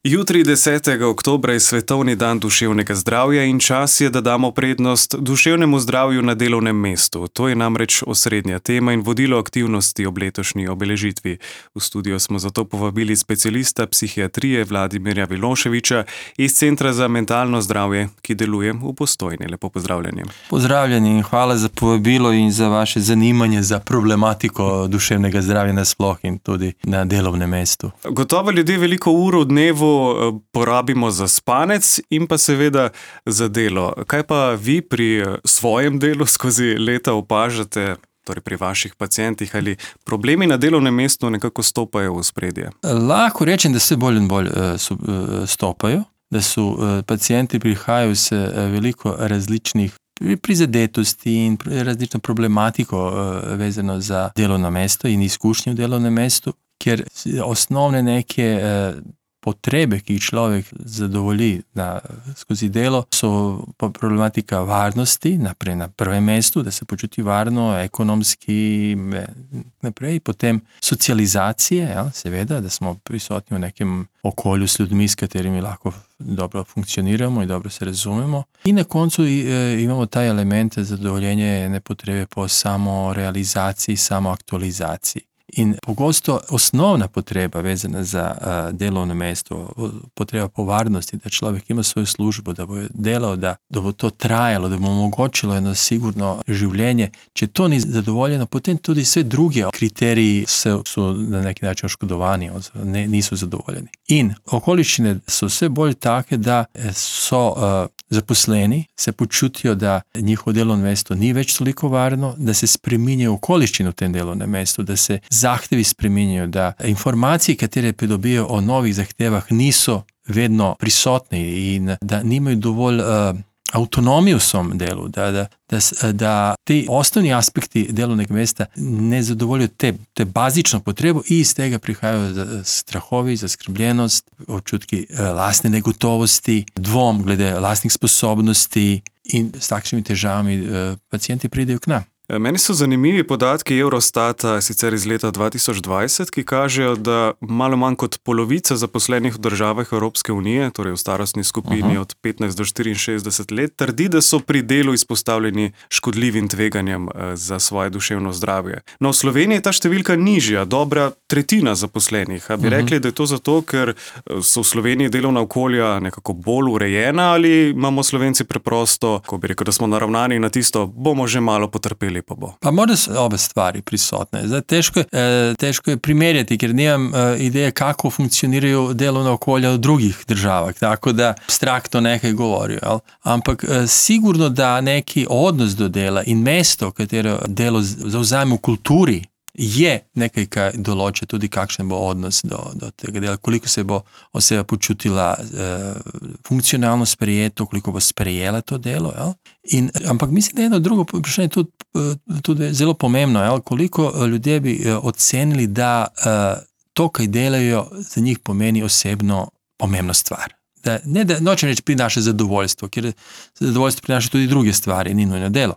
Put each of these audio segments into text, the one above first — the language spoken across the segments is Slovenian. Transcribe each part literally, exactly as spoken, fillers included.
Jutri, desetega oktobra, je svetovni dan duševnega zdravja in čas je, da damo prednost duševnemu zdravju na delovnem mestu. To je namreč osrednja tema in vodilo aktivnosti ob letošnji obeležitvi. V studio smo zato povabili specialista psihiatrije Vladimirja Viloševića iz Centra za mentalno zdravje, ki deluje v Postojni. Lepo pozdravljeni. Pozdravljeni in hvala za povabilo in za vaše zanimanje za problematiko duševnega zdravja nasploh in tudi na delovnem mestu. Gotovo ljudje veliko ur v dnevu porabimo za spanec in pa seveda za delo. Kaj pa vi pri svojem delu skozi leta opažate, torej pri vaših pacientih, ali problemi na delovnem mestu nekako stopajo v ospredje? Lahko rečem, da vse bolj in bolj stopajo, da so pacienti prihajajo s veliko različnih prizadetosti in različno problematiko vezano za delovno mesto in izkušnje v delovnem mestu, ker osnovne neke potrebe, ki jih človek zadovolji na, skozi delo, so pa problematika varnosti, naprej na prvem mestu, da se počuti varno, ekonomski, naprej, potem socializacije, ja, seveda, da smo prisotni v nekem okolju s ljudmi, s katerimi lahko dobro funkcioniramo in dobro se razumemo. In na koncu e, imamo ta element zadovoljenja ene potrebe po samorealizaciji, samoaktualizaciji. In pogosto osnovna potreba vezana za uh, delovno mesto, potreba po varnosti, da človek ima svojo službo, da bo delal, da, da bo to trajalo, da bo omogočilo eno sigurno življenje. Če to ni zadovoljeno, potem tudi vse druge kriteriji so, so na neki način oškodovani, ne, niso zadovoljeni. In okoliščine so vse bolj take, da so uh, zaposleni, se počutijo, da njihovo delovno mesto ni več toliko varno, da se spreminjajo okoliščine v tem delovnem mestu, da se zahtevi spreminjajo, da informacije, katere pridobijo o novih zahtevah, niso vedno prisotni in da nimajo dovolj uh, avtonomije v svom delu, da, da, da, da te osnovni aspekti delovnega mesta ne zadovoljijo te, te bazično potrebo in iz tega prihajajo strahovi, zaskrbljenost, občutki uh, lastne negotovosti, dvom glede lastnih sposobnosti in s takšnimi težavami uh, pacienti pridejo k nam. Meni so zanimivi podatki Eurostata, sicer iz leta dva tisoč dvajset, ki kažejo, da malo manj kot polovica zaposlenih v državah Evropske unije, torej v starostni skupini uh-huh. od petnajst do štiriinšestdeset let, trdi, da so pri delu izpostavljeni škodljivim tveganjem za svoje duševno zdravje. No, v Sloveniji je ta številka nižja, dobra tretjina zaposlenih. A bi uh-huh. rekli, da je to zato, ker so v Sloveniji delovna okolja nekako bolj urejena, ali imamo Slovenci preprosto, ko bi rekel, da smo naravnani na tisto, bomo že malo potrpeli? Pa, pa mora so obe stvari prisotne. Zdaj, težko, eh, težko je primerjati, ker nimam eh, ideje, kako funkcionirajo delovna okolja v drugih državah, tako da abstraktno nekaj govorijo. Ali? Ampak eh, sigurno, da neki odnos do dela in mesto, katero delo zavzame v kulturi, je nekaj, kaj določa tudi, kakšen bo odnos do, do tega dela, koliko se bo oseba počutila eh, funkcionalno sprejeto, koliko bo sprejela to delo. In, ampak mislim, da je eno drugo vprašanje tudi, tudi zelo pomembno, jel? Koliko ljudje bi ocenili, da eh, to, kaj delajo, za njih pomeni osebno pomembno stvar. Da, ne, da nočem reči prinaša zadovoljstvo, ker zadovoljstvo prinaša tudi druge stvari, ni nujno delo,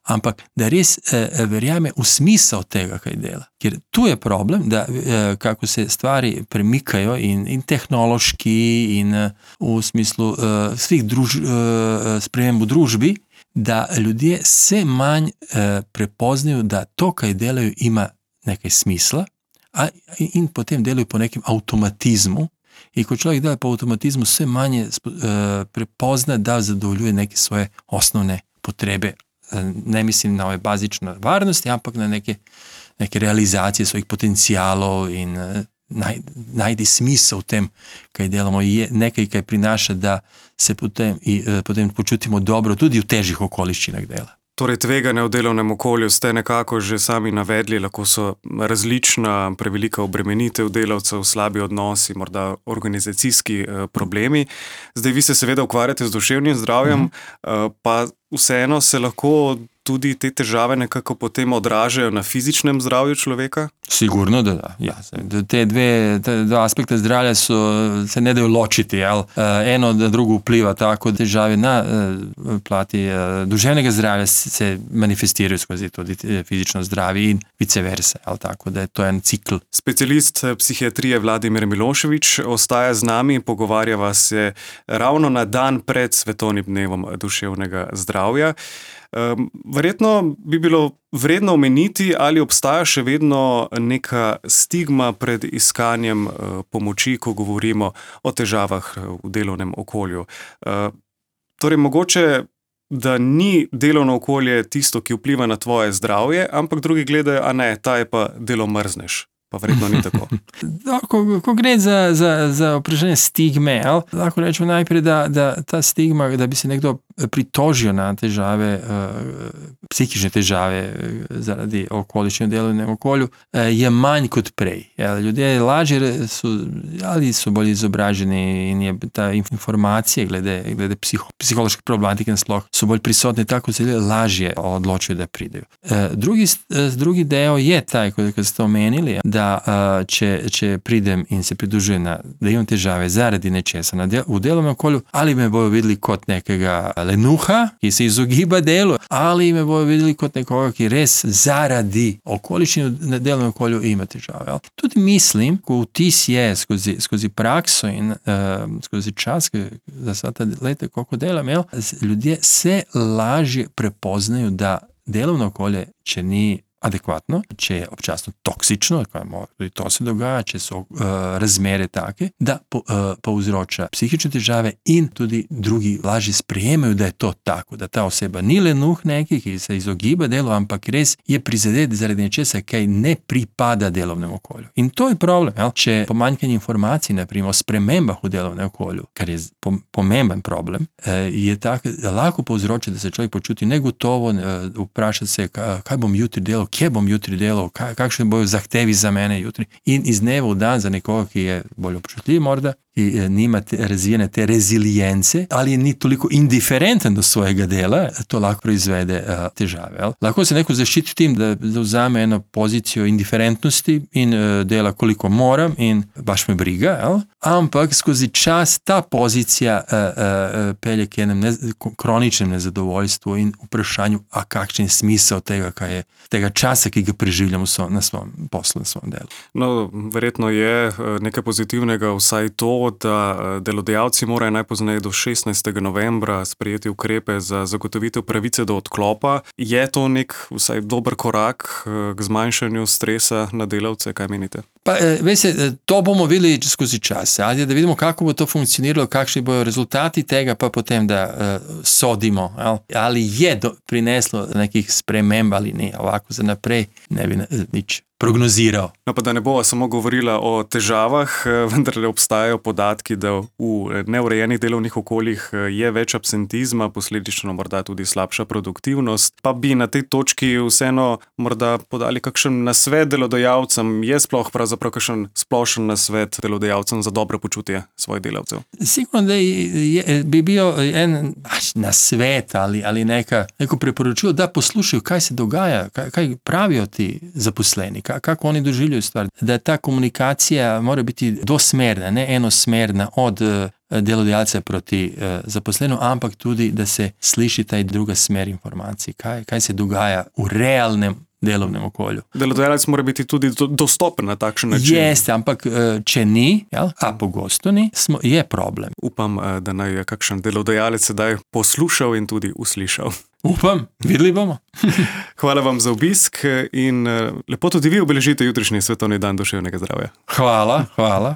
ampak da res eh, verjame v smisel tega, kaj dela. Ker tu je problem, da eh, kako se stvari premikajo in, in tehnološki in eh, v smislu eh, svih druž, eh, sprememb v družbi, da ljudje vse manj eh, prepoznajo, da to, kaj delajo, ima nekaj smisla a, in potem delajo po nekem avtomatizmu. In ko človek dela po avtomatizmu, vse manje uh, prepozna, da zadovoljuje neke svoje osnovne potrebe. Uh, ne mislim na ove bazične varnosti, ampak na neke, neke realizacije svojih potencijalov in uh, naj, najdi smisel v tem, kaj delamo. Je nekaj, kaj prinaša, da se potem, i, uh, potem počutimo dobro tudi v težjih okoliščinah dela. Torej, tveganja v delovnem okolju ste nekako že sami navedli, lahko so različna, prevelika obremenitev delavcev, slabi odnosi, morda organizacijski eh, problemi. Zdaj, vi se seveda ukvarjate z duševnim zdravjem, mm-hmm. eh, pa vseeno se lahko tudi te težave nekako potem odražajo na fizičnem zdravju človeka? Sigurno da da. Ja, te dve, te dva aspekta zdravja so, se ne dajo ločiti. Jel? Eno na drugo vpliva, tako težave na plati duševnega zdravja se manifestirajo skozi tudi fizično zdravje in vice versa. Jel? Tako da je to en cikl. Specialist psihiatrije Vladimir Milošević ostaja z nami, pogovarjava se ravno na dan pred Svetovnim dnevom duševnega zdravja. Verjetno bi bilo vredno omeniti, ali obstaja še vedno neka stigma pred iskanjem pomoči, ko govorimo o težavah v delovnem okolju. Torej, mogoče, da ni delovno okolje tisto, ki vpliva na tvoje zdravje, ampak drugi gledajo, a ne, ta je pa delo mrzneš. Pa verjetno ni tako. ko, ko gre za, za, za vprašanje stigme, ali, lahko rečemo najprej, da, da ta stigma, da bi se nekdo pritožil na težave, psihične težave zaradi okoliščine v delovnem okolju, je manj kot prej. Ljudje lažje so, ali so bolj izobraženi in je ta informacija glede, glede psiho, psihološke problematike nasploh so bolj prisotne, tako se lažje odločijo, da pridejo. Drugi, drugi del je taj, kot ste omenili, da če, če pridem in se pridružujem, da imam težave zaradi nečesa na del, v delovnem okolju, ali me bojo videli kot nekega lenuha, ki se izogiba delu, ali me bojo videli kot nekoga, ki res zaradi okoliščine v delovnem okolju ima težave. Tudi mislim, ko vtis je skozi, skozi prakso in uh, skozi čas, za vsa ta leta, koliko delam, ljudje se lažje prepoznajo, da delovno okolje, če ni adekvatno, če je občasno toksično, tudi to se dogaja, če so uh, razmere take, da po, uh, povzroča psihične težave in tudi drugi lažje sprejemajo, da je to tako, da ta oseba ni lenuh neki, ki se izogiba delu, ampak res je prizadet zaradi nečesa, kaj ne pripada delovnemu okolju. In to je problem, jel? Če pomanjkanje informacij, naprimer, o spremembah v delovnem okolju, kar je pomemben problem, uh, je tako, da lahko povzroča, da se človek počuti negotovo, uh, vpraša se, kaj bom jutri delal, kje bom jutri delal, kakšne bojo zahtevi za mene jutri. In iz dneva v dan za nekoga, ki je bolj občutljiv morda, ki nima te, razvijene te rezilijence, ali ni toliko indiferenten do svojega dela, to lahko proizvede uh, težave. Ali? Lahko se neko zaščiti tim, da zauzame eno pozicijo indiferentnosti in uh, dela koliko moram in baš me briga, ali? Ampak skozi čas ta pozicija uh, uh, pelje k enem ne, kroničnem nezadovoljstvu in vprašanju, a kakšen smisel tega, kaj je, tega časa, ki ga preživljam so, na svojem poslu, na svojem delu. No, verjetno je nekaj pozitivnega vsaj to, da delodajalci morajo najpozneje do šestnajstega novembra sprejeti ukrepe za zagotovitev pravice do odklopa. Je to nek vsaj dober korak k zmanjšanju stresa na delavce, kaj menite? Pa, veste, to bomo videli skozi čas, ali da vidimo, kako bo to funkcioniralo, kakšni bojo rezultati tega, pa potem, da uh, sodimo, ali, ali je do, prineslo nekih sprememb ali ne, ovako za naprej ne bi nič prognoziral. No, pa da ne bova samo govorila o težavah, vendar obstajajo podatki, da v neurejenih delovnih okoljih je več absentizma, posledično morda tudi slabša produktivnost. Pa bi na tej točki vseeno morda podali kakšen nasvet delodajalcem, je sploh pravzaprav kakšen splošen nasvet delodajalcem za dobro počutje svojih delavcev? Sigurno, da je, bi bil en nasvet ali, ali neka, neko priporočilo, da poslušajo, kaj se dogaja, kaj, kaj pravijo ti zaposleni, kako oni doživljajo stvar. Da ta komunikacija mora biti dvosmerna, ne enosmerna od delodajalca proti zaposlenemu, ampak tudi, da se sliši ta druga smer informacij, kaj, kaj se dogaja v realnem delovnem okolju. Delodajalec mora biti tudi dostopen na takšen način. Jeste, ampak če ni, jel, a pogosto ni, smo, je problem. Upam, da naj je kakšen delodajalec sedaj poslušal in tudi uslišal. Upam, videli bomo. Hvala vam za obisk in lepo tudi vi obeležite jutrišnji Svetovni dan duševnega zdravja. Hvala, hvala.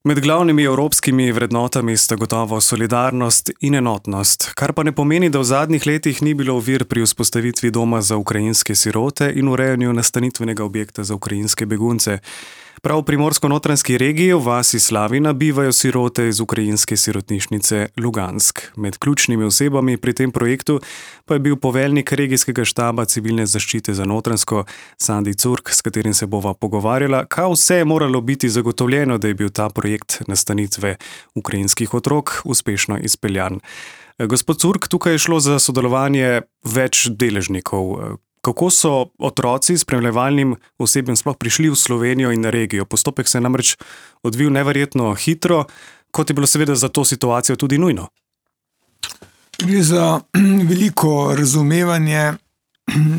Med glavnimi evropskimi vrednotami sta gotovo solidarnost in enotnost, kar pa ne pomeni, da v zadnjih letih ni bilo ovir pri vzpostavitvi doma za ukrajinske sirote in urejanju nastanitvenega objekta za ukrajinske begunce. Prav v primorsko-notranjski regiji v vasi Slavina bivajo sirote iz ukrajinske sirotnišnice Lugansk. Med ključnimi osebami pri tem projektu pa je bil poveljnik regijskega štaba civilne zaščite za Notranjsko Sandi Curk, s katerim se bova pogovarjala, kaj vse je moralo biti zagotovljeno, da je bil ta projekt nastanitve ukrajinskih otrok uspešno izpeljan. Gospod Curk, tukaj je šlo za sodelovanje več deležnikov. Kako so otroci s spremljevalnim osebjem sploh prišli v Slovenijo in regijo? Postopek se je namreč odvil neverjetno hitro, kot je bilo seveda za to situacijo tudi nujno. Gre za veliko razumevanje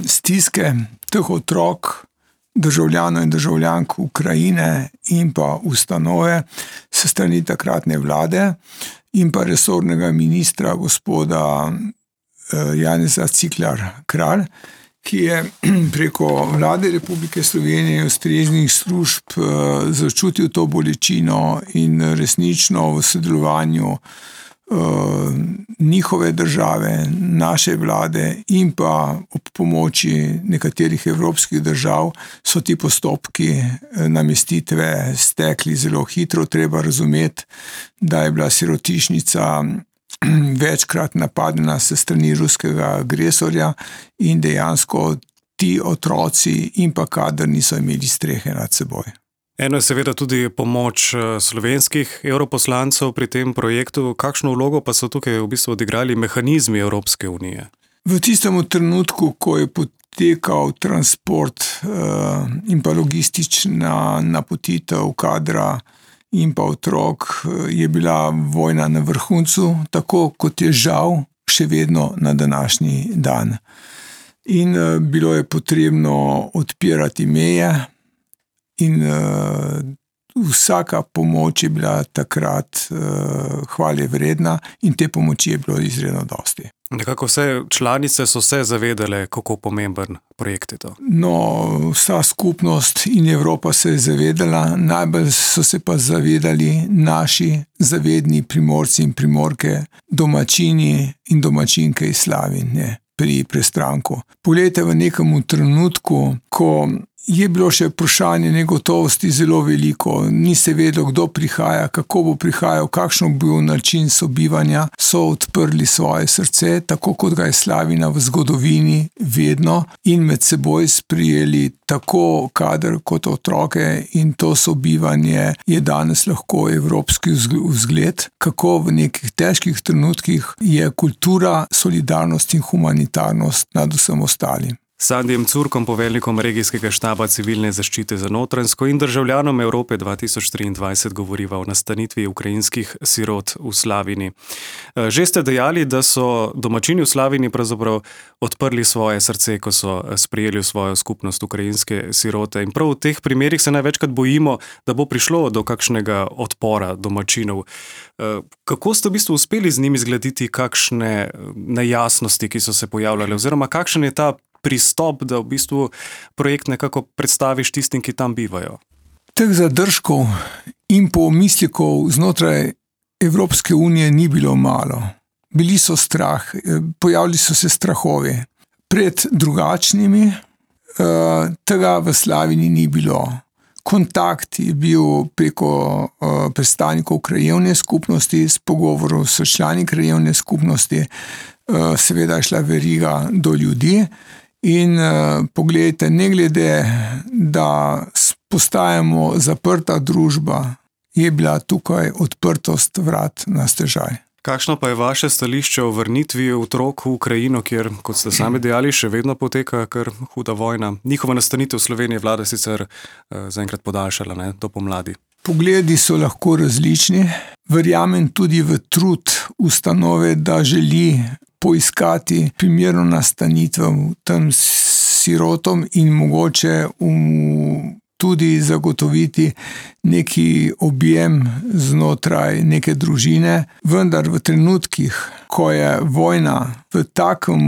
stiske teh otrok, državljanov in državljank Ukrajine in pa ustanove s strani takratne vlade in pa resornega ministra gospoda Janeza Cigler-Kralj, ki je preko vlade Republike Slovenije ustreznih služb začutil to bolečino in resnično v sodelovanju njihove države, naše vlade in pa ob pomoči nekaterih evropskih držav so ti postopki namestitve stekli zelo hitro. Treba razumeti, da je bila sirotišnica večkrat napadena se strani ruskega agresorja in dejansko ti otroci in pa kader niso imeli strehe nad seboj. Eno je seveda tudi pomoč slovenskih evroposlancev pri tem projektu. Kakšno vlogo pa so tukaj v bistvu odigrali mehanizmi Evropske unije? V tistem trenutku, ko je potekal transport uh, in pa logistična napotitev kadra in pa otrok, je bila vojna na vrhuncu, tako kot je žal še vedno na današnji dan. In uh, bilo je potrebno odpirati meje in uh, vsaka pomoč je bila takrat uh, hvale vredna in te pomoči je bilo izredno dosti. Nekako vse članice so se zavedale, kako pomemben projekt je to. No, vsa skupnost in Evropa se je zavedala, najbolj so se pa zavedali naši zavedni Primorci in Primorke, domačini in domačinke iz Slavine pri Prestranku. Poglejte, v nekem trenutku, ko je bilo še vprašanje negotovosti zelo veliko, ni se vedelo, kdo prihaja, kako bo prihajal, kakšen bo bil način sobivanja, so odprli svoje srce, tako kot ga je Slavina v zgodovini vedno, in med seboj sprijeli tako kader kot otroke, in to sobivanje je danes lahko evropski vzgled, kako v nekih težkih trenutkih je kultura, solidarnost in humanitarnost nad vsem ostalim. Sandijem Curkom, poveljnikom regijskega štaba civilne zaščite za Notranjsko in državljanom Evrope dva tisoč triindvajset govoriva o nastanitvi ukrajinskih sirot v Slavini. Že ste dejali, da so domačini v Slavini pravzaprav odprli svoje srce, ko so sprejeli v svojo skupnost ukrajinske sirote. In prav v teh primerih se največkrat bojimo, da bo prišlo do kakšnega odpora domačinov. Kako ste v bistvu uspeli z njimi zgladiti kakšne nejasnosti, ki so se pojavljale, oziroma kakšen je ta pristop, da v bistvu projekt nekako predstaviš tistim, ki tam bivajo? Teh zadržkov in pomislikov znotraj Evropske unije ni bilo malo. Bili so strah, pojavili so se strahovi. Pred drugačnimi tega v Slavini ni bilo. Kontakt je bil preko predstavnikov krajevne skupnosti, s pogovorom s člani krajevne skupnosti, seveda je šla veriga do ljudi. In uh, pogledajte, ne glede, da postajamo zaprta družba, je bila tukaj odprtost vrat na stežaj. Kakšno pa je vaše stališče o vrnitvi otrok v Ukrajino, kjer, kot ste sami dejali, še vedno poteka kar huda vojna? Njihova nastanitev v Sloveniji vlada sicer uh, zaenkrat podaljšala, ne, do pomladi. Pogledi so lahko različni. Verjamem tudi v trud ustanove, da želi poiskati primerno nastanitev tem sirotom in mogoče um, tudi zagotoviti neki objem znotraj neke družine. Vendar v trenutkih, ko je vojna v takem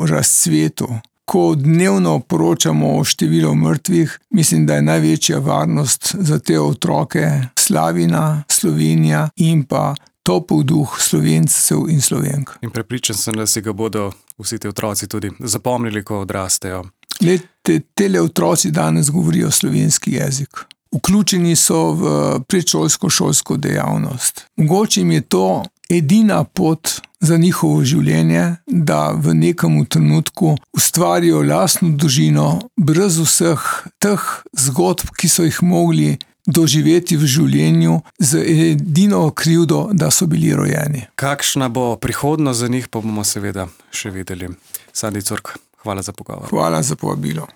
razcvetu, ko dnevno poročamo o številu mrtvih, mislim, da je največja varnost za te otroke Slavina, Slovenija in pa topel duh Slovencev in Slovenk. In prepričan sem, da si ga bodo vsi ti otroci tudi zapomnili, ko odrastejo. Lete, tele otroci danes govorijo slovenski jezik. Vključeni so v predšolsko šolsko dejavnost. Mogoče jim je to edina pot za njihovo življenje, da v nekem trenutku ustvarijo lastno družino brez vseh teh zgodb, ki so jih mogli doživeti v življenju z edino krivdo, da so bili rojeni. Kakšna bo prihodnost za njih, pa bomo seveda še videli. Sandi Curk, hvala za pogovor. Hvala za povabilo.